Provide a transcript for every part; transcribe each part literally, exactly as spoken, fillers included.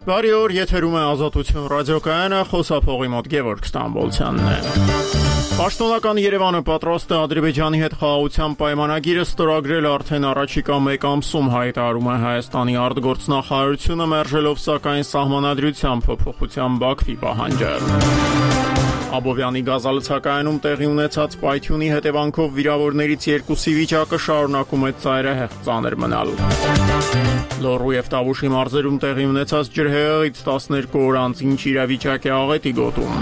Բարի օր, եթերում է Ազատություն ռադիոկայանը, խոսափողի մոտ Գևորգ Ստամբոլցյանն է։ Պաշտոնական Երևանը պատրաստ է Ադրբեջանի հետ խաղաղության պայմանագիրը ստորագրել արդեն առաջիկա մեկ ամսում, հայտարարում է Հայաստանի արտգործնախարարությունը, մերժելով սակայն սահմանադրության փոփոխության Բաքվի պահանջը։ Աբովյանի գազալցակայանում տեղի ունեցած պայթյունի հետևանքով վիրավորներից երկուսի վիճակը շարունակում է ծայրահեղ ծանր մնալ։ Լոռու և Տավուշի մարզերում տեղի ունեցած ջրհեղեղից տասներկու օր անց ինչ իրավիճակ է Աղետի գոտում։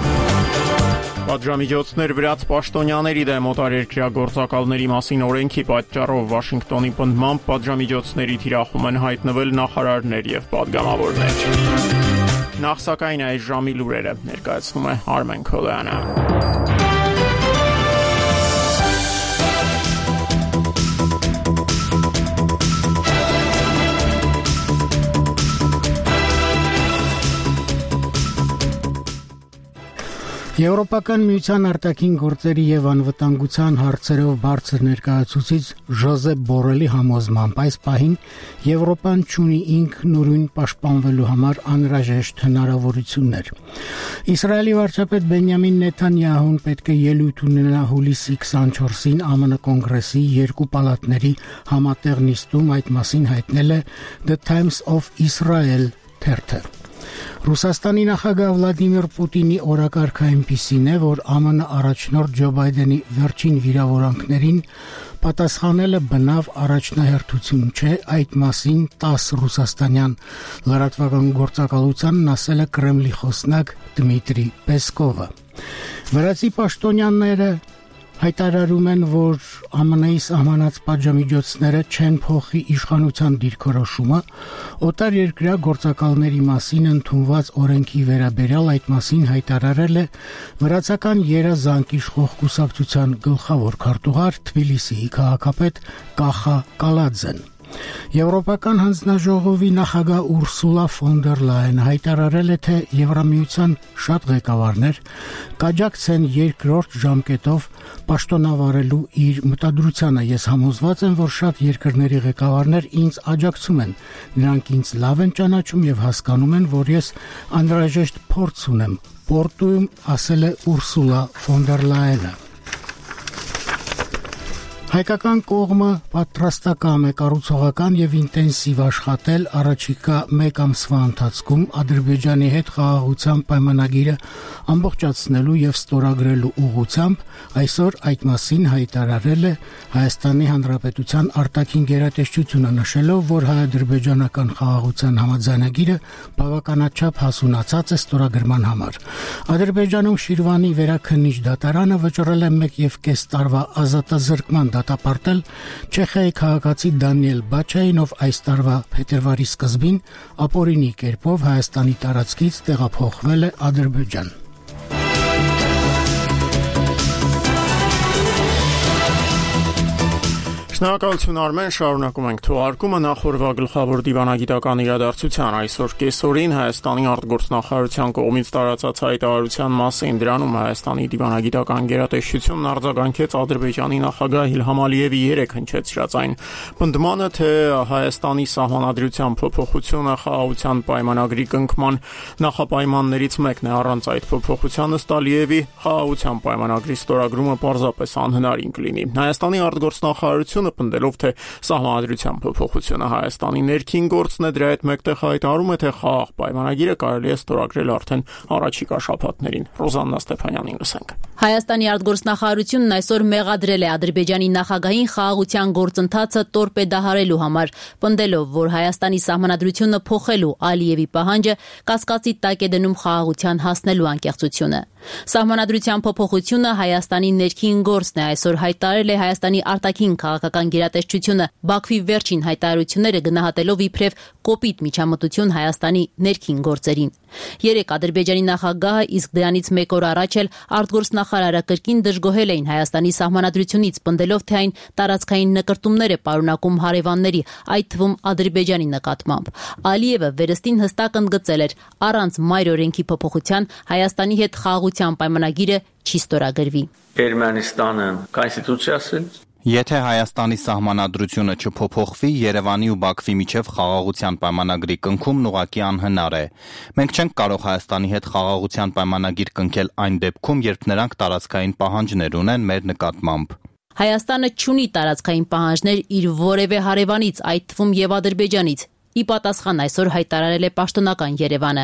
Պատժամիջոցներ վրաց պաշտոնյաների դեմ օտարերկրյա գործակալների մասին օրենքի պատճառով Վաշինգտոնի պնդմամբ պատժամիջոցների թիրախում են հայտնվել նախարարներ և պատգամավորներ։ Նախ սակայն այս ժամի լուրերը ներկայացնում է Արմեն Քոլյանը։ Եվրոպական միության արտաքին գործերի եւ անվտանգության հարցերով բարձր ներկայացուցիչ Ժոզեփ Բորելի համոզմամբ այս պահին Եվրոպան ունի ինքնուրույն պաշտպանվելու համար անհրաժեշտ հնարավորություններ։ Իսրայելի վարչապետ Բենյամին Նեթանյահուն պետք է ելույթ ունենա հուլիսի քսանչորսին ԱՄՆ կոնգրեսի երկու պալատների համատեղ նիստում, այդ մասին հայտնել է The Times of Israel թերթը։ Ռուսաստանի նախագահ Վլադիմիր Պուտինի օրակարգը այնպիսին է, որ ԱՄՆ առաջնորդ Ջո Բայդենի վերջին վիրավորանքներին պատասխանելը բնավ առաջնահերթություն չէ, այդ մասին տաս ռուսաստանյան լրատվական գործակալությանն ասել է Կրեմլի խոսնակ Դմիտրի Պեսկովը։ Վրացի պաշտոնյաները հայտարարում են, որ ԱՄՆ-ի սահմանած պատժամիջոցները չեն փոխի իշխանության դիրքորոշումը, օտար երկրյա գործակալների մասին ընդունված օրենքի վերաբերյալ այդ մասին հայտարարել է վրացական երազանք իշխող կուսակցության գլխավոր քարտուղար Թբիլիսիի քաղաքապետ Կախա Կալաձեն։ Եվրոպական հանձնաժողովի նախագահ Ուրսուլա ֆոն դեր Լայենը հայտարարել է, թե Եվրամիության շատ ղեկավարներ կաջակցեն երկրորդ ժամկետով պաշտոնավարելու իր մտադրությանը։ Ես համոզված եմ, որ շատ երկրների ղեկավարներ ինձ աջակցում են։ Նրանք ինձ լավ են ճանաչում եւ հասկանում են, որ ես անհրաժեշտ փորձ ունեմ Պորտուում, ասել է Ուրսուլա ֆոն դեր Լայենը։ Հայկական կողմը պատրաստական է կառուցողական եւ ինտենսիվ աշխատել առաջիկա մեկ ամսվա ընթացքում Ադրբեջանի հետ խաղաղության պայմանագիրը ամբողջացնելու եւ ստորագրելու ուղղությամբ, այսօր այդ մասին հայտարարել է Հայաստանի Հանրապետության արտաքին գերատեսչությունը, նշելով, որ հայ-ադրբեջանական խաղաղության համաձայնագիրը բավականաչափ հասունացած է ստորագրման համար։ Ադրբեջանում Շիրվանի վերաքննիչ դատարանը վճռել է մեկ եւ կես տարվա ազատազրկման դատապարտել Չեխիայի քաղաքացի Դանիել Բաչային, ով այս տարվա փետրվարի սկզբին ապօրինի կերպով Հայաստանի տարածքից տեղափոխվել է Ադրբեջան։ Շնորհակալություն Արմեն, շարունակում ենք թողարկումը նախորդ գլխավոր դիվանագիտական իրադարձության այսօր կեսօրին Հայաստանի արտգործնախարարության կողմից տարածած հայտարարության մասին։ Դրանում Հայաստանի դիվանագիտական գերատեսչությունն արձագանքեց Ադրբեջանի նախագահ Իլհամ Ալիևի երեկ հնչեցրած այն պնդմանը, թե Հայաստանի սահմանադրության փոփոխությունը խաղաղության պայմանագրի կնքման նախապայմաններից մեկն է։ Առանց այդ փոփոխության ըստ Ալիևի խաղաղության պայմանագրի ստորագրումը պարզապես անհնարին կլինի։ Հայաստանի արտգործնախարարությունը պնդելով, թե սահմանադրության փոփոխությունը Հայաստանի ներքին գործն է, դրա հետ մեկտեղ հայտարարում է, թե խաղաղ պայմանագիրը կարելի է ստորագրել արդեն առաջիկա շաբաթներին։ Ռոզաննա Ստեփանյանին լսենք։ Հայաստանի արտգործնախարարությունն այսօր մեղադրել է Ադրբեջանի նախագահին խաղաղության գործընթացը տորպեդահարելու համար, պնդելով, որ Հայաստանի սահմանադրությունը փոխելու Ալիևի պահանջը կասկածի տակ է դնում խաղաղության հասնելու անկեղծությունը։ Սահմանադրության փոփոխությունը Հայաստանի ներքին գործն է, այսօր հայտարարել է Հայաստանի արտաքին քաղաքական գերատեսչությունը, Բաքվի վերջին հայտարարությունները գնահատելով իբրև կոպիտ միջամտություն Հայաստանի ներքին գործերին։ Երեկ Ադրբեջանի նախագահը, իսկ դրանից մեկ օր առաջ էլ արտգործնախարարը կրկին դժգոհել էին Հայաստանի սահմանադրությունից, պնդելով, թե այն տարածքային նկրտումներ է պարունակում հարևանների, այդ թվում Ադրբեջանի նկատմամբ։ Ալիևը վերստին հստակ ընդգծել էր, առանց մայր օրենքի փոփոխության Հայաստանի հետ խաղաղության պայմանագիրը չի ստորագրվի։ Ermənistanın konstitusiyası Եթե Հայաստանի սահմանադրությունը չփոփոխվի, Երևանի ու Բաքվի միջև խաղաղության պայմանագրի կնքում ուղղակի անհնար է։ Մենք չենք կարող Հայաստանի հետ խաղաղության պայմանագիր կնքել այն դեպքում, երբ նրանք տարածքային պահանջներ ունեն մեր նկատմամբ։ Հայաստանը չունի տարածքային պահանջներ իր որևէ հարևանից, այդ թվում եւ Ադրբեջանից։ Ի պատասխան այսօր հայտարարել է պաշտոնական Երևանը։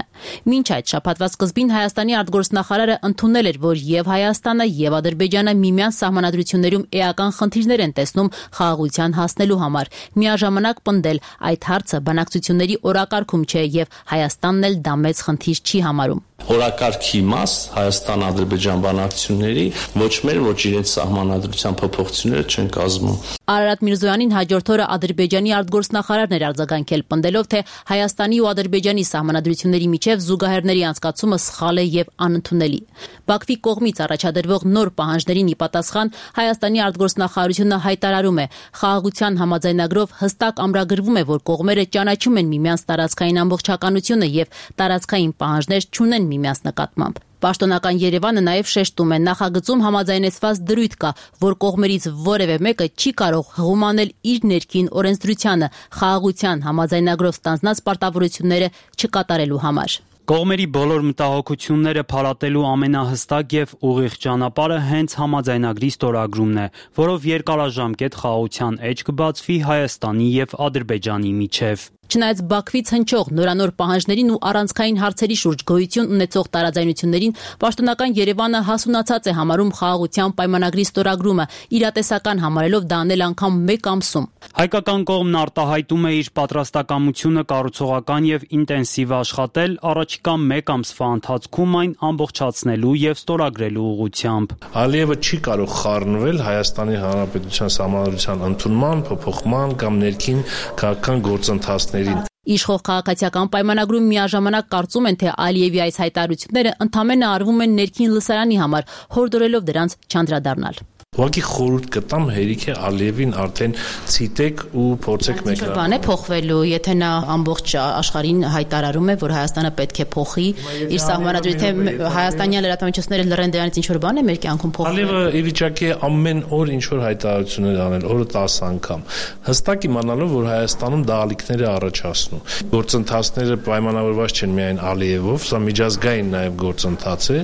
Մինչ այդ շաբաթվա սկզբին Հայաստանի արտգործնախարարը ընդունել էր, որ եւ Հայաստանը եւ Ադրբեջանը միմյանց սահմանադրություններում էական խնդիրներ են տեսնում խաղաղության հասնելու համար։ Միաժամանակ պնդել, այդ հարցը բանակցությունների օրակարգում չէ եւ Հայաստանն էլ դա մեծ խնդիր չի համարում։ Օրակարգի մաս Հայաստան-Ադրբեջան բանակցությունների ոչ մեր, ոչ իրենց սահմանադրության փոփոխությունները չեն կազմում։ Արարատ Միրզոյանին հաջորդ օրը Ադրբեջանի արտգործնախարարն էր արձագանքել, պնդելով, թե Հայաստանի ու Ադրբեջանի սահմանադրությունների միջև զուգահեռների անցկացումը սխալ է եւ անընդունելի։ Բաքվի կողմից առաջադրվող նոր պահանջներին ի պատասխան Հայաստանի արտգործնախարարությունը հայտարարում է, խաղաղության համաձայնագրով հստակ ամրագրվում է, որ կողմերը ճանաչում են միմյանց տարածքային ամբողջականությունը եւ տարածքային պահանջներ չունեն միմյանց նկատմամբ։ Պաշտոնական Երևանը նաև շեշտում է, նախագծում համաձայնեցված դրույթ կա, որ կողմերից որևէ մեկը չի կարող հղում անել իր ներքին օրենսդրությանը խաղաղության համաձայնագրով ստանձնած պարտավորությունները չկատարելու համար։ Կողմերի բոլոր մտահոգությունները փարատելու ամենահստակ եւ ուղիղ ճանապարհը հենց համաձայնագրի ստորագրումն է, որով երկարաժամկետ խաղաղության էջ կբացվի Հայաստանի եւ Ադրբեջանի միջև։ Չնայած Բաքվից հնչող նորանոր պահանջներին ու առանցքային հարցերի շուրջ գոյություն ունեցող տարաձայնություններին, պաշտոնական Երևանը հասունացած է համարում խաղաղության պայմանագրի ստորագրումը, իրատեսական համարելով դա անել անգամ մեկ ամսում։ Հայկական կողմն արտահայտում է իր պատրաստակամությունը կառուցողական եւ ինտենսիվ աշխատել առաջիկա մեկ ամսվա ընթացքում այն ամբողջացնելու եւ ստորագրելու ուղղությամբ։ Ալիևը չի կարող խառնվել Հայաստանի Հանրապետության սահմանադրության ընդունման, փոփոխման կամ ներքին քաղաքական գործընթացների Իշխող քաղաքացիական պայմանագրում միաժամանակ կարծում են, թե Ալիևի այս հայտարարությունները ընդամենը արվում են ներքին լսարանի համար, հորդորելով դրանց չանդրադառնալ։ Ուղղակի խորհուրդ կտամ հերիք է Ալիևին արդեն ցիտեք ու փորձեք մեկնարկել։ Բան է փոխվելու, եթե նա ամբողջ աշխարհին հայտարարում է, որ Հայաստանը պետք է փոխի իր սահմանադրությունը, թե հայաստանյան լրատվամիջոցները լռեն դրանից ինչ որ բան է մեր կյանքում փոխվել։ Ալիևը ի վիճակի է ամեն օր ինչ որ հայտարարություններ անել, օրը տասը անգամ։ Հստակ իմանալով, որ Հայաստանում դա ալիքներ է առաջացնում։ Գործընթացները պայմանավորված չեն միայն Ալիևով, սա միջազգային նաև գործընթաց է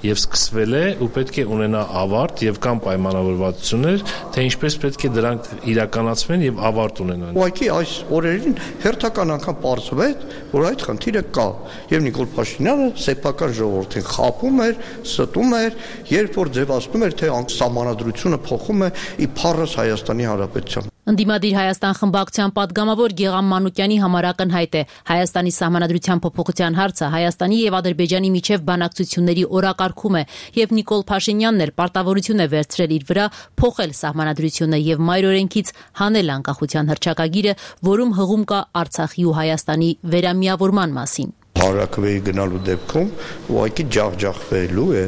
եւ սկսվել է ու պետք է ունենա ավարտ եւ կամ պայմանավորվածություններ, թե ինչպես պետք է դրանք իրականացվեն եւ ավարտ ունենան։ Ուղղակի այս օրերին հերթական անգամ պարզվեց, որ այդ խնդիրը կա եւ Նիկոլ Փաշինյանը սեփական ժողովրդին խաբում էր, ստում էր, երբ որ ձևացնում էր, թե սահմանադրությունը փոխում է իբարս Հայաստանի Հանրապետության։ Ընդդիմադիր Հայաստան խմբակցության պատգամավոր Գեգամ Մանուկյանի համար ակնհայտ է Հայաստանի սահմանադրության փոփոխության հարցը Հայաստանի եւ Ադրբեջանի միջև բանակցությունների օրակարգում է եւ Նիկոլ Փաշինյանն էլ պարտավորություն է վերցրել իր վրա փոխել սահմանադրությունը եւ մայրօրենքից հանել անկախության հռչակագիրը, որում հղում կա Արցախի ու Հայաստանի վերամիավորման մասին։ Հարակվեի գնալու դեպքում ուղղակի ջախջախվելու է։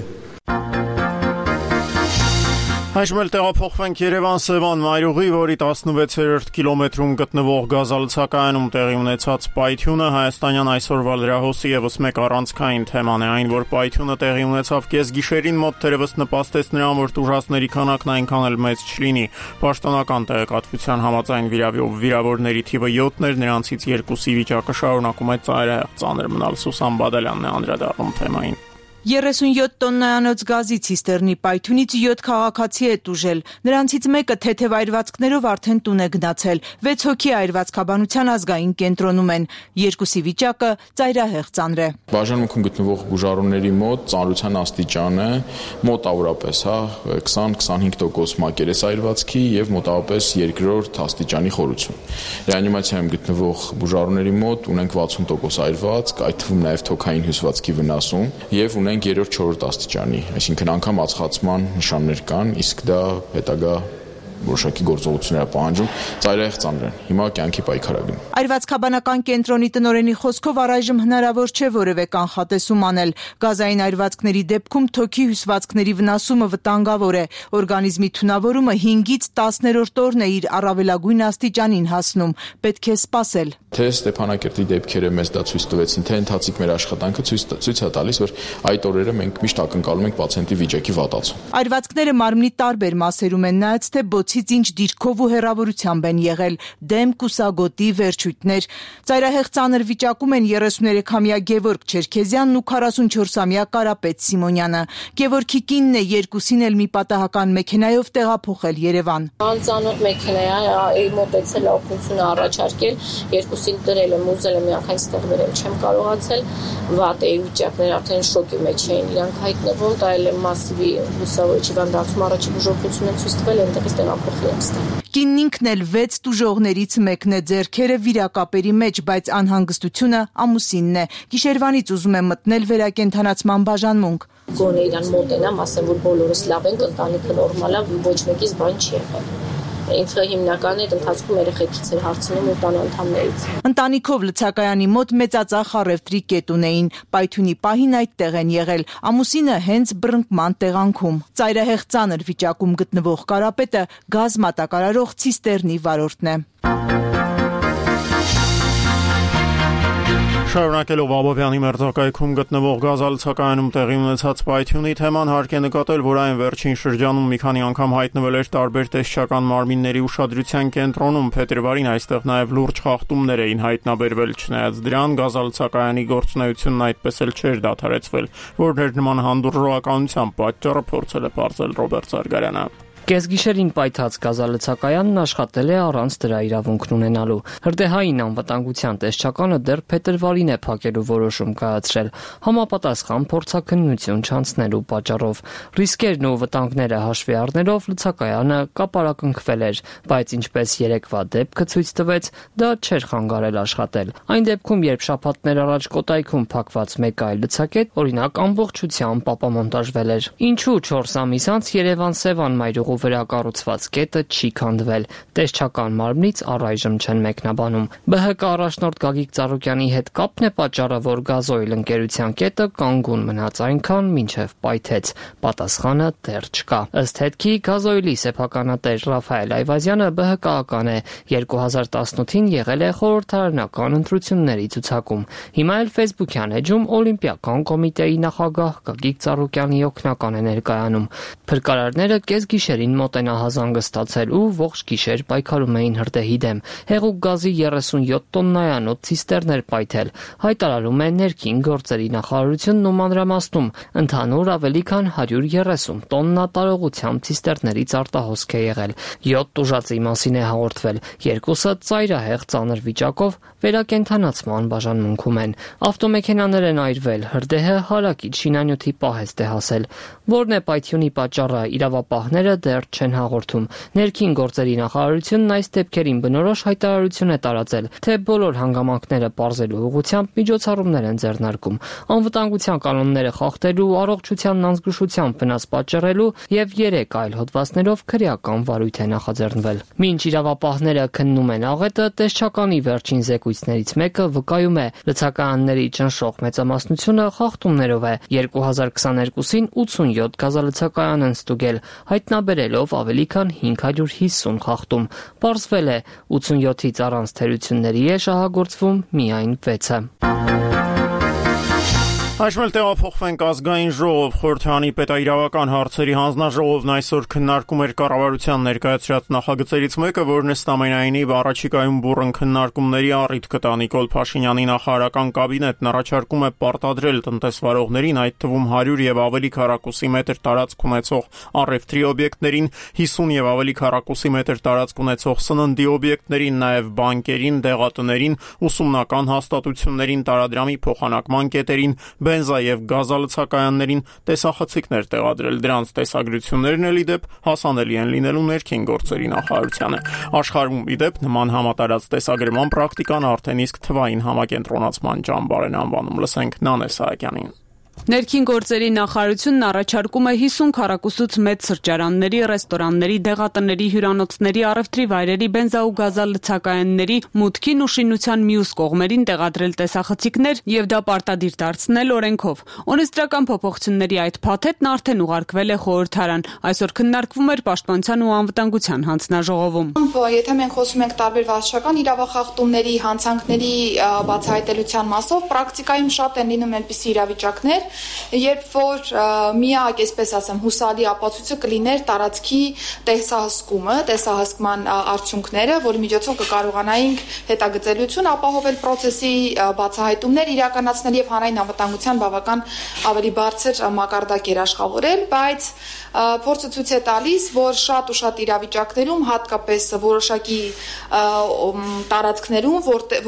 Այժմ էլ տեղափոխվենք Երևան-Սևան մայրուղի, որի տասնվեցերորդ կիլոմետրում գտնվող գազալցակայանում տեղի ունեցած պայթյունը հայաստանյան այսօրվա լրահոսի ևս մեկ առանցքային թեման է, այն որ պայթյունը տեղի ունեցավ կեսգիշերին մոտ թերևս նպաստեց նրան, որ տուժածների քանակն այնքան էլ մեծ չլինի։ Պաշտոնական տեղեկատվության համաձայն վիրավորների թիվը յոթն էր, նրանցից երկուսի վիճակը շարունակում է ծայրահեղ ծանր մնալ։ Սուսան Բադալյանն է անդրադառնում թեմային։ երեսունյոթ տոննայանոց գազի ցիստերնի պայթյունից յոթ քաղաքացի է տուժել։ Նրանցից մեկը թեթև այրվածքներով արդեն տուն է գնացել։ վեց հոգի այրվածքաբանության ազգային կենտրոնում են։ Երկուսի վիճակը ծայրահեղ ծանր է։ Բաժանմունքում գտնվող բուժառուների մոտ ծանրության աստիճանը մոտավորապես, հա, քսան քսանհինգ տոկոս մակերես այրվածքի եւ մոտավորապես երկրորդ աստիճանի խորություն։ Ռեանիմացիայում գտնվող բուժառուների մոտ ունենք վաթսուն տոկոս այրվածք, այդ թվում նաեւ թոքային հյուսվածքի վնասում եւ ունենք երրորդ չորրորդ աստիճանի, այսինքն անգամ ածխացման նշաններ կան, իսկ դա հետագա որոշակի գործողություններ պահանջում, ծայրահեղ ծանր են։ Հիմա կյանքի պայքարագն։ Այրվածքաբանական կենտրոնի տնօրենի խոսքով առայժմ հնարավոր չէ որևէ կանխատեսում անել։ Գազային այրվածքների դեպքում թոքի հյուսվածքների վնասումը վտանգավոր է։ Օրգանիզմի թունավորումը հինգից տասներորդ օրն է իր առավելագույն աստիճանին հասնում։ Պետք է սպասել։ Թե Ստեփանակերտի դեպքերը մեզ դա ցույց տվեցին, թե ընթացիկ մեր աշխատանքը ցույց ցույց է տալիս, որ այդ օրերը մենք միշտ ակնկալում ենք պացիենտի վիճակի վատացում։ Այրվածքները մարմնի տարբեր մասերում են, նայած թե բոցից ինչ դիրքով ու հեռավորությամբ են եղել՝ դեմ, կուսագոտի, վերջույթներ։ Ծայրահեղ ծանր վիճակում են երեսուներեքամյա Գևորգ Չերքեզյանն ու քառասունչորսամյա Կարապետ Սիմոնյանը։ Գևորգի կինն է երկուսին էլ մի պատահական մեքենայով տեղափոխել Երևան։ Անծանոթ մեքենա է, մոտեցել օգնություն առաջարկել, երկուսին դրել եմ, ուզել եմ միանգամից տեղ վերել, չեմ կարողացել, վատ էի վիճակներ, արդեն շոկի մեջ էին իրանք հայտնվում, տայել եմ մասիվի լուսավորիչ հիվանդացում, առաջի բուժօգնություն եմ ցույց տվել, այնտեղից տեղափոխել եմ ստեղ։ Կինն ինքն էլ վեց տուժողներից մեկն է, ձեռքերը վիրակապերի մեջ, բայց անհանգստությունը ամուսինն է։ Գիշերվանից ուզում է մտնել վերակենդանացման բաժանմունք։ Գոնե իրան մոտենամ, ասեմ, որ բոլորս լավ ենք, ընտանիքը նորմալ է, ոչ մեկից բան չի եղել։ Ինքը հիմնական է ընթացքում երեխեքից էր հարցնում ու տան անդամներից։ Ընտանիքով լցակայանի մոտ մեծածախ առևտրի կետ ունեին, պայթյունի պահին այդտեղ են եղել, ամուսինը հենց բռնկման տեղանքում։ Ծայրահեղ ծանր վիճակում գտնվող Կարապետը գազ մատակարարող ցիստերնի վարորդն է։ Շարունակելով Աբովյանի մերձակայքում գտնվող գազալցակայանում տեղի ունեցած պայթյունի թեման հարկ է նկատել, որ այն վերջին շրջանում մի քանի անգամ հայտնվել էր տարբեր տեսչական մարմինների ուշադրության կենտրոնում։ Փետրվարին այստեղ նաև լուրջ խախտումներ էին հայտնաբերվել, չնայած դրան գազալցակայանի գործունեությունն այդպես էլ չէր դադարեցվել, որն էր նման հանդուրժողականության պատճառը, փորձել է պարզել Ռոբերտ Զարգարյանը։ Կեսգիշերին պայթած գազալցակայանն աշխատել է առանց դրա իրավունքն ունենալու։ Հրդեհային անվտանգության տեսչականը դեռ փետրվարին է փակելու որոշում կայացրել, համապատասխան փորձաքննություն չանցնելու պատճառով։ Ռիսկերն ու վտանգները հաշվի առնելով լցակայանը կապարակնքվել էր, բայց ինչպես երեկվա դեպքը ցույց տվեց, դա չէր խանգարել աշխատել։ Այն դեպքում, երբ շաբաթներ առաջ Կոտայքում փակված մեկ այլ լցակետ, օրինակ, ամբողջությամբ ապամոնտաժվել էր։ Ինչու չորս ամիս անց Երևան Սևան մայրուղու վրա կառուցված կետը չի քանդվել։ Տեսչական մարմնից առայժմ չեն մեկնաբանում։ Բ Հ Կ առաջնորդ Գագիկ Ծառուկյանի հետ կապն է պատճառը, որ Գազոյլ ընկերության կետը կանգուն մնաց այնքան, մինչև պայթեց։ Պատասխանը դեռ չկա։ Ըստ հետքի Գազոյլի սեփականատեր Ռաֆայել Այվազյանը Բ Հ Կ-ական է, երկու հազար տասնութին եղել է խորհրդարանական ընտրությունների ցուցակում։ Հիմա էլ Facebook-յան էջում Օլիմպիական կոմիտեի նախագահ Գագիկ Ծառուկյանի օգնական է ներկայանում։ Փրկարարները կեսգիշերին մոտենահազանգը ստացել ու ողջ գիշեր պայքարում էին հրդեհի դեմ։ Հեղուկ գազի երեսունյոթ տոննայանոց ցիստերներ պայթել, հայտարարում է ներքին գործերի նախարարությունն ու մանրամասնում։ Ընդհանուր ավելի քան հարյուր երեսուն տոննա տարողությամբ ցիստերներից արտահոսք է եղել։ յոթ տուժածի մասին է հաղորդվել, երկուսը ծայրահեղ ծանր վիճակով վերակենդանացման բաժանմունքում են։ Ավտոմեքենաներ են այրվել, հրդեհը հարակից շինանյութի պահեստ է հասել։ Որն է պայթյունի պատճառը, իրավապահները դեռ չեն հաղորդում։ Ներքին գործերի նախարարությունն այս դեպքերին բնորոշ հայտարարություն է տարածել, թե բոլոր հանգամանքները պարզելու ուղղությամբ միջոցառումներ են ձեռնարկում, անվտանգության կանոնները խախտելու, առողջությանն անզգուշությամբ վնաս պատճառելու եւ երեք այլ հոդվածներով քրեական վարույթ է նախաձեռնվել։ Մինչ իրավապահները քննում են աղետը, տեսչականի վերջին զեկույցներից մեկը վկայում է, լցակայանների ճնշող մեծամասնությունը խախտումներով է։ երկու հազար քսաներկուսին ութսունյոթ գազալցակայան են ստուգել, հայտնաբերելով ավելի քան հինգ հարյուր հիսուն խախտում։ Պարզվել է, ութսունյոթից առանց թերությունների է շահագործվում միայն վեցը։ Այժմ էլ տեղափոխվենք ազգային ժողով։ Խորհրդարանի պետաիրավական հարցերի հանձնաժողովն այսօր քննարկում էր կառավարության ներկայացրած նախագծերից մեկը, որն ըստ ամենայնիվ առաջիկայում բուռն քննարկումների առիթ կտա։ Նիկոլ Փաշինյանի նախարարական կաբինետն առաջարկում է պարտադրել տնտեսվարողներին, այդ թվում հարյուր եւ ավելի քառակուսի մետր տարածք ունեցող առևտրի օբյեկտներին, հիսուն եւ ավելի քառակուսի մետր տարածք ունեցող սննդի օբյեկտներին, նաեւ բանկերին, դեղատներին, ուսումնական հաստատություններին, տարադրամի փոխանակման կետերին, բենզա եւ գազալցակայաններին տեսախցիկներ տեղադրել։ Դրանց տեսագրություններն էլ ի դեպ հասանելի են լինելու ներքին գործերի նախարարությանը։ Աշխարհում ի դեպ նման համատարած տեսագրման պրակտիկան արդեն իսկ թվային համակենտրոնացման ճամբար են անվանում։ Լսենք Նանե Սահակյանին։ Ներքին գործերի նախարարությունն առաջարկում է հիսուն քառակուսուց մեծ սրճարանների, ռեստորանների, դեղատների, հյուրանոցների, առևտրի վայրերի, բենզա ու գազալցակայանների մուտքին ու շինության մյուս կողմերին տեղադրել տեսախցիկներ եւ դա պարտադիր դարձնել օրենքով։ Օրենսդրական փոփոխությունների այդ փաթեթն արդեն ուղարկվել է խորհրդարան։ Այսօր քննարկվում էր Պաշտպանության ու անվտանգության հանձնաժողովում։ Եթե մենք խոսում ենք տարբեր վարչական իրավախախտումների, հանցանքների բացահայտելիության մասով, պրակտիկայում շատ են լինում այնպիսի իրավիճակներ, երբ որ միակ, այսպես ասեմ, հուսալի ապացույցը կլիներ տարածքի տեսահսկումը, տեսահսկման արդյունքները, որի միջոցով կկարողանայինք հետագծելիություն ապահովել process-ի բացահայտումներ իրականացնել եւ հանրային անվտանգության բավական ավելի բարձր մակարդակ էր աշխատել, բայց փորձը ցույց է տալիս, որ շատ ու շատ իրավիճակներում, հատկապես որոշակի տարածքներում,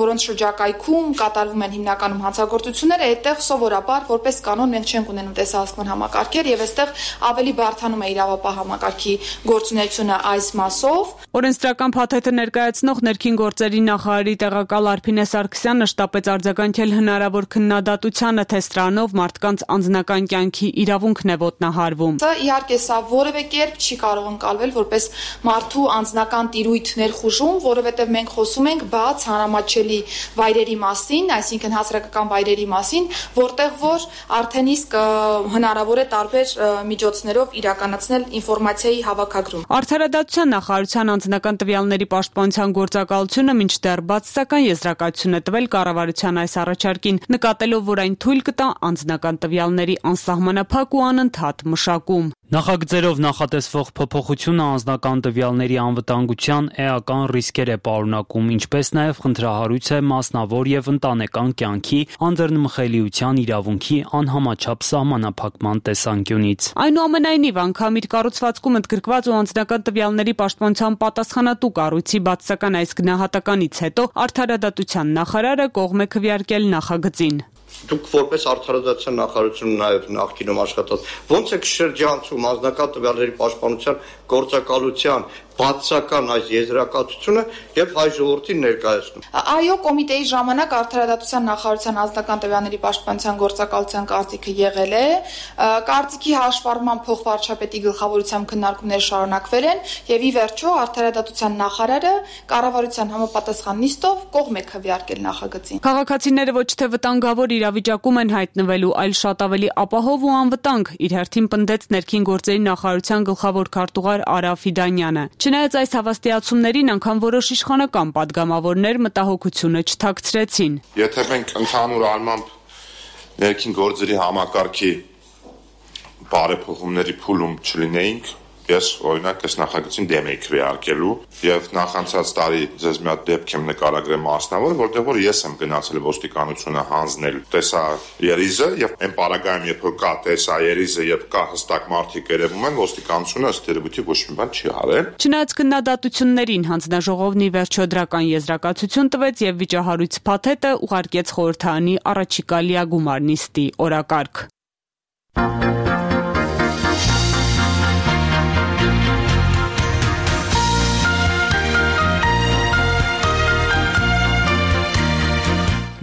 որոնց շրջակայքում կատարվում են հիմնականում հանցագործությունները, այդտեղ սովորաբար որպես կանոն մենք չենք ունենում տեսահսկման համակարգեր եւ այստեղ ավելի բարդանում է իրավապահ համակարգի գործունեությունը այս մասով։ Օրենսդրական փաթեթը ներկայացնող ներքին գործերի նախարարի տեղակալ Արփինե Սարգսյանը շտապեց արձագանքել հնարավոր քննադատությանը, թե սրանով մարդկանց անձնական կյանքի իրավունքն է ոտնահարվում։ Սա իհարկե սա որևէ կերպ չի կարող ընկալվել որպես մարդու անձնական տիրույթ ներխուժում, որովհետև մենք խոսում ենք բաց հանրամատչելի վայրերի մասին, այսինքն հասարակական վայրերի մասին, որտեղ որ արդեն իսկ հնարավոր է տարբեր միջոցներով իրականացնել ինֆորմացիայի հավաքագրում։ Արդարադատության նախարարության անձնական տվյալների պաշտպանության գործակալությունը մինչդեռ բացասական եզրակացություն է տվել կառավարության այս առաջարկին, նկատելով, որ այն թույլ կտա անձնական տվյալների անսահմանափակ ու անընդհատ մշակում։ Նախագծերով նախատեսվող փոփոխությունը անձնական տվյալների անվտանգության էական ռիսկեր է պարունակում, ինչպես նաև խնդրահարույց է մասնավոր եւ ընտանեկան կյանքի անձեռնմխելիության իրավունքի անհամաչափ սահմանափակման տեսանկյունից։ Այնուամենայնիվ, անգամ իր կառուցվածքում ընդգրկված ու անձնական տվյալների պաշտպանության պատասխանատու կառույցի բացասական այս գնահատականից հետո արդարադատության նախարարը կողմ է քվեարկել նախագծին։ Դուք որպես արդարադատության նախարարություն նաև նախկինում աշխատած, ո՞նց եք շրջանցում անձնական տվյալների պաշտպանության գործակալության բացասական այս եզրակացությունը եւ հայ ժողովրդին ներկայացնում։ Այո, կոմիտեի ժամանակ արդարադատության նախարարության անձնական տվյալների պաշտպանության գործակալության կարծիքը եղել է, կարծիքի հաշվառման փոխվարչապետի գլխավորությամբ քննարկումներ շարունակվել են եւ ի վերջո արդարադատության նախարարը կառավարության համապատասխան նիստով կողմ է քվեարկել նախագծին։ Քաղաքացիները ոչ թե վտանգավոր իրավիճակում են հայտնվելու, այլ շատ ավելի ապահով ու անվտանգ, իր հերթին պնդեց ներքին գործերի նախարարության գլխավոր քարտուղար Արա Ֆիդանյանը։ Չնայած այս հավաստիացումներին, անգամ որոշ իշխանական падգամավորներ մտահոգությունը չթաքցրեցին։ Եթե մենք ընդհանուր առմամբ ներքին գործերի համակարգի բարեփոխումների փուլում չլինեինք, ես օրինակ այս նախագծին դեմ էի քվեարկելու եւ նախանցած տարի ձեզ մի հատ դեպք եմ նկարագրել մասնավոր, որտեղ որ ես եմ գնացել ոստիկանությունը հանձնել տեսա երիզը եւ այն պարագայում երբ որ կա տեսա երիզը, երբ կա հստակ մարդիկ երևում են, ոստիկանությունը ըստ երևույթի ոչ մի բան չի արել։ Չնայած քննադատություններին հանձնաժողովն ի վերջո դրական եզրակացություն տվեց եւ վիճահարույց փաթեթը ուղարկեց խորհրդարանի առաջիկա լիագումար նիստի օրակարգ։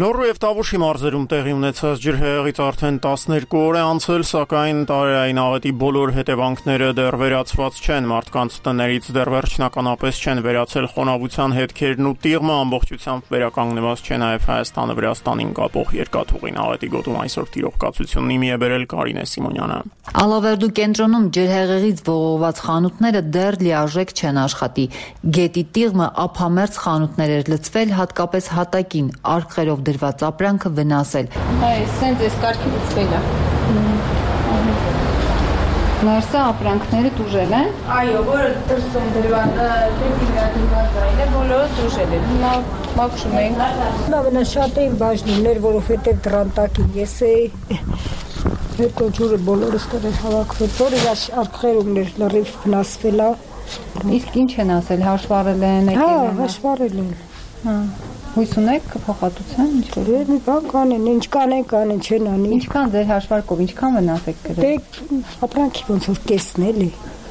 Լոռու եւ Տավուշի մարզերում տեղի ունեցած ջրհեղեղից արդեն տասներկու օր է անցել, սակայն տարերային աղետի բոլոր հետևանքները դեռ վերացված չեն, մարդկանց տներից դեռ վերջնականապես չեն վերացել խոնավության հետքերն ու տիղմը, ամբողջությամբ վերականգնված չէ նաեւ Հայաստանը Վրաստանին կապող երկաթուղին։ Աղետի գոտում այսօր տիրողկացությունն իմի է բերել Կարինե Սիմոնյանը։ Ալավերդու կենտրոնում ջրհեղեղից ողողված խանութները դեռ լիարժեք չեն աշխատի։ Գետի տիղմը ափամերձ խանութներ էր լցվել, հատկապես հատակին, արկղերով դրված ապրանքը վնասել։ Այ, սենց էս կարգի լցվել է։ Լարսա ապրանքները տուժել են։ Այո, որը դրսում դրված, դեպի դրված այլ է, բոլորը տուժել են։ Լավ, մաքրում ենք։ Ամենաշատը իմ բաժնումներ, որովհետև դրան տակին ես էի։ Հետո ջուրը բոլորս դրել հավաքվել, որը արկղերումներ լրիվ վնասվել է։ Իսկ ինչ են ասել, հաշվառել են, եկել են։ Հա, հաշվառել են։ Հա։ Հույս ունեք փոխհատուցան, ինչ որ։ Դե մի բան կանեն, ինչ կանեն, կանեն չեն անի։ Ինչքան ձեր հաշվարկով, ինչքան վնաս եք գրել։ Դե ապրանքի ոնց որ կեսն էլի։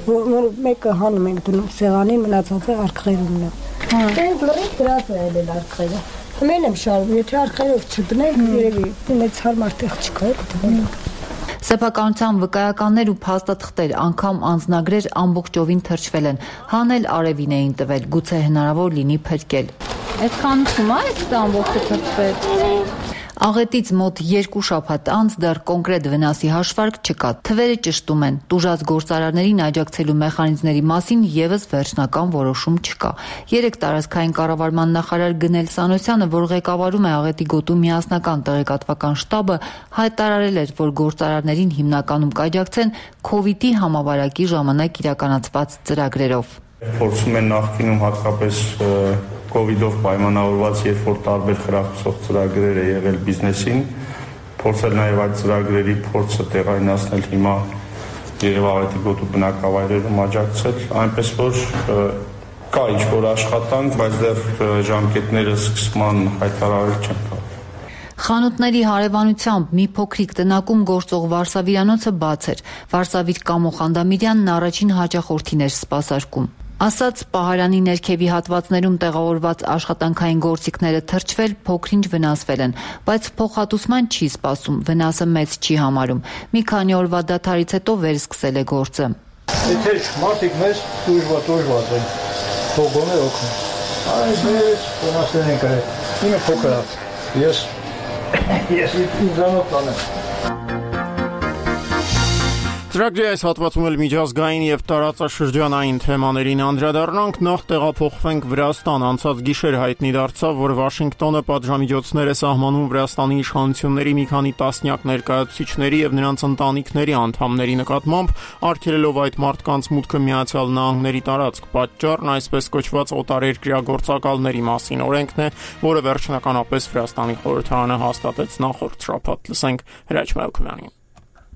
Որ մեկը հանում ենք դնում սեղանին, մնացածը արկղերումն է։ Հա։ Դե լրիվ դրած է այլ արկղերը։ Մեն եմ շարում, եթե արկղերով չդնենք, երևի մեծ հարմար տեղ չկա, դնում։ Սեփականության վկայականներ ու փաստաթղթեր, անգամ անձնագրեր ամբողջովին թրջվել են, հանել արևին էին տվել, գուցե հնարավոր լինի փրկել։ Այդքան ուսում է, այս ամբողջը թրջվել։ Աղետից մոտ երկու շաբաթ անց դեռ կոնկրետ վնասի հաշվարկ չկա, թվերը ճշտում են, տուժած գործարարներին աջակցելու մեխանիզմների մասին ևս վերջնական որոշում չկա։ Երեք տարածքային կառավարման նախարար Գնել Սանոսյանը, որ ղեկավարում է Աղետի գոտու միասնական տեղեկատվական շտաբը, հայտարարել էր, որ գործարարներին հիմնականում կաջակցեն քովիդի համավարակի ժամանակ իրականացված ծրագրերով։ Փորձում են նախկինում հատկապես կովիդով պայմանավորված, երբ որ տարբեր խրախուսող ծրագրեր է եղել բիզնեսին, փորձել նաև այդ ծրագրերի փորձը տեղայնացնել հիմա Երևան Աղետի գոտու բնակավայրերում աջակցել, այնպես որ կա ինչ-որ աշխատանք, բայց դեռ ժամկետները սկսման հայտարարել չեն կարող։ Խանութների հարևանությամբ մի փոքրիկ տնակում գործող Վարսավիրանոցը բաց էր։ Վարսավիր Կամո Խանդամիրյանն առաջին հաճախորդին էր սպասարկում։ Ասաց պահարանի ներքևի հատվածներում տեղավորված աշխատանքային գործիքները թրջվել, փոքրինչ վնասվել են, բայց փոխհատուցման չի սպասում, վնասը մեծ չի համարում։ Մի քանի օրվա դադարից հետո վերսկսել է գործը։ Եթե մարդիկ մեզ դժվար դժվար են, փողոներ օգնում։ Այս մեծ վնասներ են կրել։ Ինը փոքր է։ Ես ես ինձանոց տանեմ։ Ծրագրի այս հատվածում էլ միջազգային եւ տարածաշրջանային թեմաներին անդրադառնանք, նախ տեղափոխվենք Վրաստան։ Անցած գիշեր հայտնի դարձավ, որ Վաշինգտոնը պատժամիջոցներ է սահմանում Վրաստանի իշխանությունների մի քանի տասնյակ ներկայացուցիչների եւ նրանց ընտանիքների անդամների նկատմամբ, արգելելով այդ մարդկանց մուտքը Միացյալ Նահանգների տարածք։ Պատճառն այսպես կոչված օտարերկրյա գործակալների մասին օրենքն է, որը վերջնականապես Վրաստանի խորհրդարանը հաստատեց նախորդ շաբաթ։ Լսենք Հրաչ Մելքումյանին։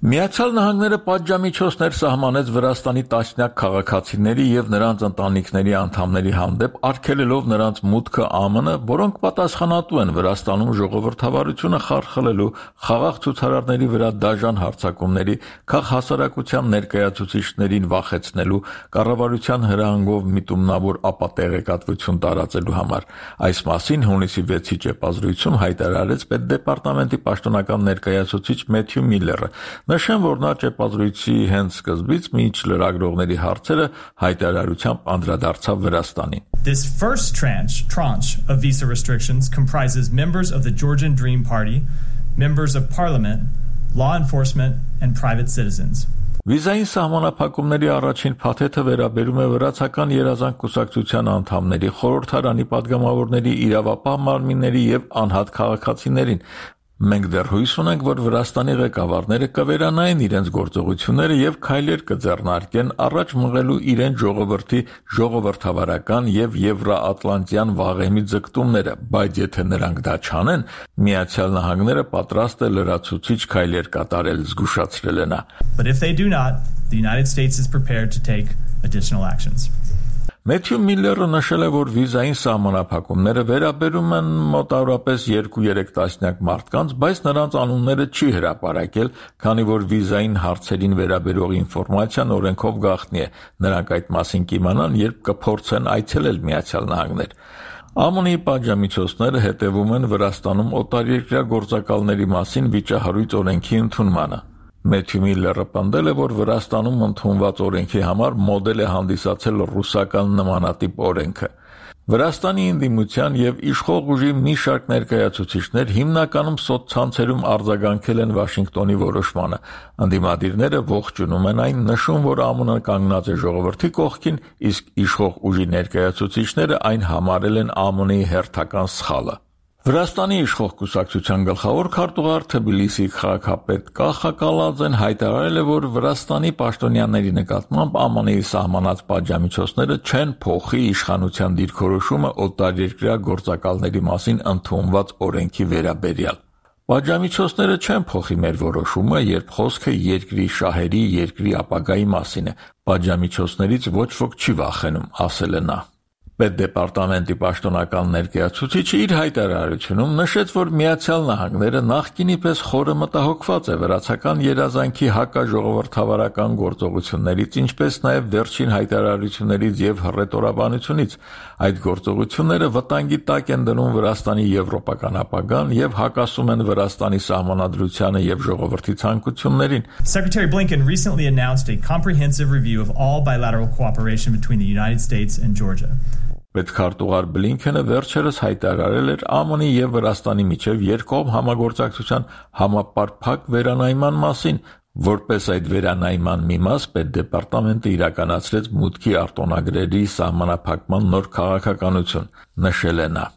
Միացյալ Նահանգները պատժամիջոցներ սահմանեց Վրաստանի տասնյակ քաղաքացիների եւ նրանց ընտանիքների անդամների հանդեպ, արգելելով նրանց մուտքը ԱՄՆ, որոնք պատասխանատու են Վրաստանում ժողովրդավարությունը խարխլելու, խաղաղ ցուցարարների վրա դաժան հարձակումների, քաղաքասարակության ներկայացուցիչներին վախեցնելու, կառավարության հրահանգով միտումնավոր ապատեղեկատվություն տարածելու համար։ Այս մասին հունիսի վեցի ճեպազրույցում հայտարարեց Պետդեպարտամենտի պաշտոնական ներկայացուցիչ Մեթյու Միլլերը։ Նշեմ, որ նա ճեպազրույցի հենց սկզբից մինչ լրագրողների հարցերը հայտարարությամբ անդրադարձավ Վրաստանին։ This first tranche, tranche of visa restrictions comprises members of the Georgian Dream Party, members of parliament, law enforcement and private citizens. Վիզային սահմանափակումների առաջին փաթեթը վերաբերում է վրացական երազանք կուսակցության անդամների, խորհրդարանի падգամավորների, իրավապահ մարմինների եւ անհատ քաղաքացիներին։ Մենք դեռ հույս ունենք, որ Վրաստանի ղեկավարները կվերանային իրենց գործողությունները եւ քայլեր կձեռնարկեն առաջ մղելու իրենց ժողովրդի ժողովրդավարական եւ եվրոատլանտյան վաղեմի ձգտումները, բայց եթե նրանք դա չանեն, Միացյալ Նահանգները պատրաստ է լրացուցիչ քայլեր կատարել, զգուշացրել է նա։ But if they do not, the United States is prepared to take additional actions. Մեթյու Միլլերը նշել է, որ վիզային սահմանափակումները վերաբերում են մոտավորապես երկու-երեք տասնյակ մարդկանց, բայց նրանց անունները չի հրապարակել, քանի որ վիզային հարցերին վերաբերող ինֆորմացիան օրենքով գաղտնի է։ Նրանք այդ մասին կիմանան, երբ կփորձեն այցելել Միացյալ Նահանգներ։ ԱՄՆ-ի պատժամիջոցները հետևում են Վրաստանում օտարերկրյա գործակալների մասին վիճահարույց օրենքի ընդունմանը։ Մեթյու Միլլերը պնդել է, որ Վրաստանում ընդունված օրենքի համար մոդել է հանդիսացել ռուսական նմանատիպ օրենքը։ Վրաստանի ընդդիմության եւ իշխող ուժի մի շարք ներկայացուցիչներ հիմնականում սոցցանցերում արձագանքել են Վաշինգտոնի որոշմանը։ Ընդդիմադիրները ողջունում են այն, նշում, որ ԱՄՆ կանգնած է ժողովրդի կողքին, իսկ իշխող ուժի ներկայացուցիչները այն համարել են ԱՄՆ-ի հերթական սխալը։ Վրաստանի իշխող կուսակցության գլխավոր քարտուղար Թբիլիսի քաղաքապետ Կախա Կալաձեն հայտարարել է, որ Վրաստանի պաշտոնյաների նկատմամբ ԱՄՆ-ի սահմանած պատժամիջոցները չեն փոխի իշխանության դիրքորոշումը օտարերկրյա գործակալների մասին ընդունված օրենքի վերաբերյալ։ Պատժամիջոցները չեն փոխի մեր որոշումը, երբ խոսքը երկրի շահերի, երկրի ապագայի մասին է։ Պատժամիջոցներից ոչ ոք չի վախենում, ասել է նա։ Պետդեպարտամենտի պաշտոնական ներկայացուցիչը իր հայտարարությունում նշեց, որ Միացյալ Նահանգները նախկինի պես խորը մտահոգված է վրացական երազանքի հակաժողովրդավարական գործողություններից, ինչպես նաև վերջին հայտարարություններից եւ հռետորաբանությունից։ Այդ գործողությունները վտանգի տակ են դնում Վրաստանի եվրոպական ապագան եւ հակասում են Վրաստանի սահմանադրությանը եւ ժողովրդի ցանկություններին։ Secretary Blinken recently announced a comprehensive review of all bilateral cooperation between the United States and Georgia. Պետքարտուղար Բլինքենը վերջերս հայտարարել էր ԱՄՆ-ի եւ Վրաստանի միջև երկկողմ համագործակցության համապարփակ վերանայման մասին, որպես այդ վերանայման մի մաս Պետդեպարտամենտը իրականացրեց մուտքի արտոնագրերի սահմանափակման նոր քաղաքականություն, նշել է նա։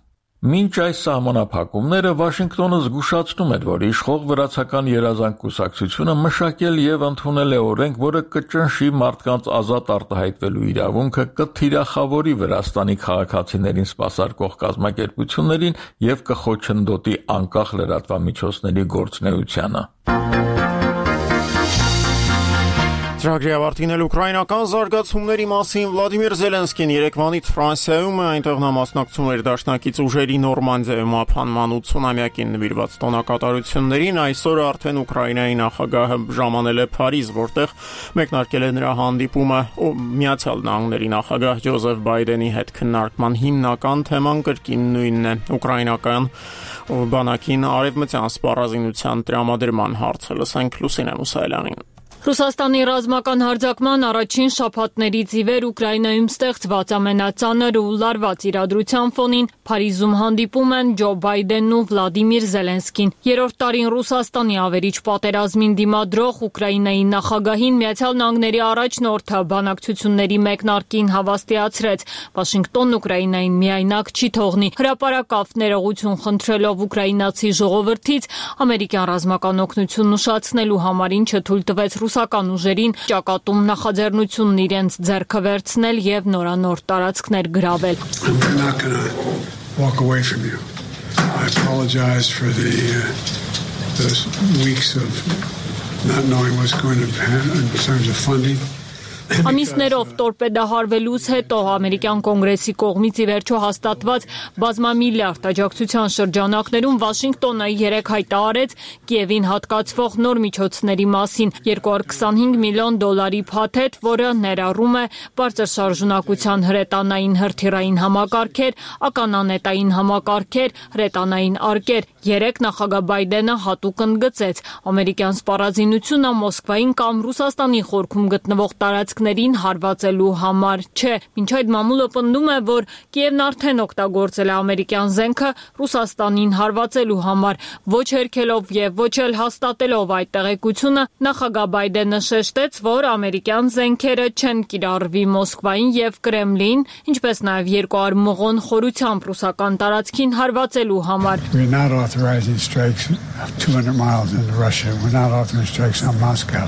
Մինչ այս սահմանափակումները Վաշինգտոնը զգուշացնում էր, որ իշխող վրացական երազանք կուսակցությունը մշակել եւ ընդունել է օրենք, որը կճնշի մարդկանց ազատ արտահայտվելու իրավունքը, կթիրախավորի Վրաստանի քաղաքացիներին սպասարկող կազմակերպություններին եւ կխոչընդոտի անկախ լրատվամիջոցների գործունեությանը։ Ծրագրի ավարտին էլ ուկրաինական զարգացումների մասին Վլադիմիր Զելենսկին երեկվանից Ֆրանսիայում է, այնտեղ նա մասնակցում էր դաշնակից ուժերի Նորմանդիայում ապահանման ութսունամյակին նվիրված տոնակատարություններին։ Այսօր արդեն Ուկրաինայի նախագահը ժամանել է Փարիզ, որտեղ մեկնարկել է նրա հանդիպումը Միացյալ Նահանգների նախագահ Ջոզեֆ Բայդենի հետ։ Քննարկման հիմնական թեման կրկին նույնն է՝ ուկրաինական բանակին արևմտյան սպառազինության տրամադրման հարցը։ Լսենք Լուսինե Մուսայելյանին։ Ռուսաստանի ռազմական հարձակման առաջին շաբաթներից ի վեր Ուկրաինայում ստեղծված ամենածանր ու լարված իրադրության ֆոնին Փարիզում հանդիպում են Ջո Բայդենն ու Վլադիմիր Զելենսկին։ Երրորդ տարին Ռուսաստանի ավերիչ պատերազմին դիմադրող Ուկրաինայի նախագահին Միացյալ Նահանգների առաջնորդը բանակցությունների մեկնարկին հավաստիացրեց, Վաշինգտոնն Ուկրաինային միայնակ չի թողնի։ Հրապարակավ ներողություն խնդրելով ուկրաինացի ժողովրդից ամերիկյան ռազմական օգնությունն ուշացնելու համար, ինչը թույլ տվեց ռուսական ուժերին ճակատում նախաձեռնությունն իրենց ձեռքը վերցնել եւ նորանոր տարածքներ գրավել։ I apologize for the uh, those weeks of not knowing what's going to happen in terms of funding. Ամիսներով տորպեդահարվելուց հետո ամերիկյան կոնգրեսի կողմից ի վերջո հաստատված բազմամիլիարդ աջակցության շրջանակներում Վաշինգտոնը երեկ հայտարարեց Կիևին հատկացվող նոր միջոցների մասին երկու հարյուր քսանհինգ միլիոն դոլարի փաթեթ, որը ներառում է բարձր շարժունակության հրետանային հրթիռային համակարգեր, ականանետային համակարգեր, հրետանային արկեր։ Երեկ նախագահ Բայդենը հատուկ ընդգծեց ամերիկյան սպառազինությունը Մոսկվային կամ Ռուսաստանի խորքում գտնվող տարածքներին հարվածելու համար չէ։ Մինչ այդ մամուլը պնդում է, որ Կիևն արդեն օգտագործել է ամերիկյան զենքը Ռուսաստանին հարվածելու համար, ոչ հերքելով եւ ոչ էլ հաստատելով այդ տեղեկությունը, նախագահ Բայդենը շեշտեց, որ ամերիկյան զենքերը չեն կիրառվի Մոսկվային եւ Կրեմլին, ինչպես նաեւ երկու հարյուր մղոն խորությամբ ռուսական տարածքին հարվածելու համար։ Authorizing strikes two hundred miles into Russia. We're not authorizing strikes on Moscow,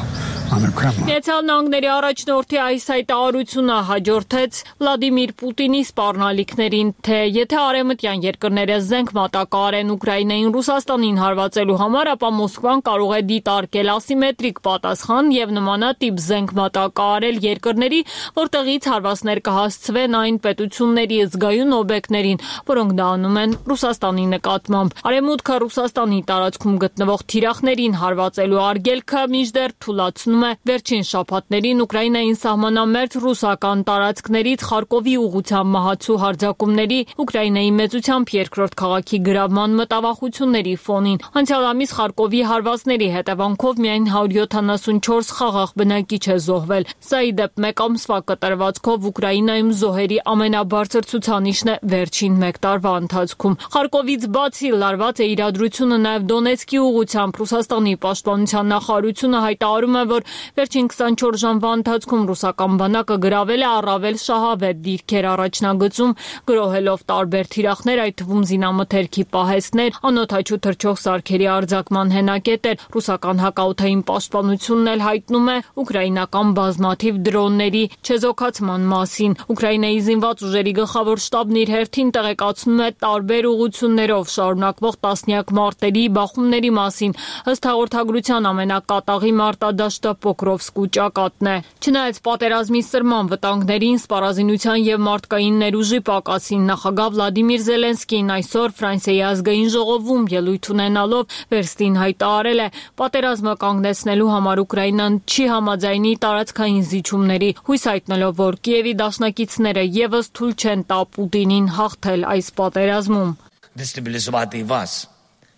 on the Kremlin. Միացյալ Նահանգների առաջնորդի այս հայտարարությունը հաջորդեց Վլադիմիր Պուտինի սպառնալիքներին, թե եթե արևմտյան երկրները զենք մատակարարեն Ուկրաինային Ռուսաստանին հարվածելու համար, ապա Մոսկվան կարող է դիտարկել ասիմետրիկ պատասխան եւ նմանատիպ զենք մատակարարել երկրների, որտեղից հարվածներ կհասցվեն այն պետությունների զգայուն օբյեկտներին, որոնք դա անում են Ռուսաստանի նկատմամբ։ Արևմուտքը Ռուսաստանի տարածքում գտնվող թիրախներին հարվածելու արգելքը մինչդեռ թուլացնում է։ Վերջին շաբաթներին Ուկրաինային սահմանամերձ ռուսական տարածքներից Խարկովի ուղղությամբ մահացու հարձակումների, Ուկրաինայի մեծությամբ երկրորդ քաղաքի գրավման մտավախությունների ֆոնին։ Անցյալ ամիս Խարկովի հարվածների հետևանքով միայն հարյուր յոթանասունչորս խաղաղ բնակիչ է զոհվել։ Սա ի դեպ մեկ ամսվա կտրվածքով Ուկրաինայում զոհերի ամենաբարձր ցուցանիշն է վերջին մեկ տարվա ընթացքում։ Խարկովից բացի լարված է իրադրությունը նաև Դոնեցկի ուղղությամբ։ Ռուսաստանի պաշտպանության նախարարությունը հայտարարում է, որ վերջին քսանչորս ժամվա ընթացքում ռուսական բանակը գրավել է առավել շահավետ դիրքեր առաջնագծում, գրոհելով տարբեր թիրախներ, այդ թվում զինամթերքի պահեստներ, անօդաչու թռչող սարքերի արձակման հենակետեր։ Ռուսական հակաօդային պաշտպանությունն էլ հայտնում է ուկրաինական բազմաթիվ դրոնների չեզոքացման մասին։ Ուկրաինայի զինված ուժերի գլխավոր շտաբն իր հերթին տեղեկացնում է տարբեր ուղղություններով շարունակվող տասնյակ մարտերի, բախումների մասին։ Ըստ հաղորդագրության ամենակատաղի մարտադաշտը Պոկրովսկու ճակատն է։ Չնայած Չնայած պատերազմի սրման վտանգներին, սպառազինության եւ մարդկային ներուժի պակասին, նախագահ Վլադիմիր Զելենսկին այսօր Ֆրանսիայի ազգային ժողովում ելույթ ունենալով վերստին հայտարարել է, պատերազմը կանգնեցնելու համար Ուկրաինան չի համաձայնի տարածքային զիջումների, հույս հայտնելով, որ Կիևի դաշնակիցները եւս թույլ չեն տա Պուտինին հաղթել այս պատերազմում. Дестабілізувати вас.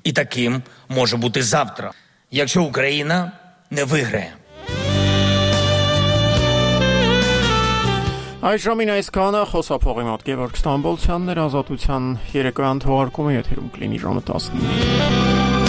І таким може бути завтра, якщо Україна не виграє. Այժմին այսքանը խոսափողի մոտ Գևորգ Ստամբոլցյանն էր, Ազատության երեկոյան թողարկումը եթերում կլինի ժամը տասնինը։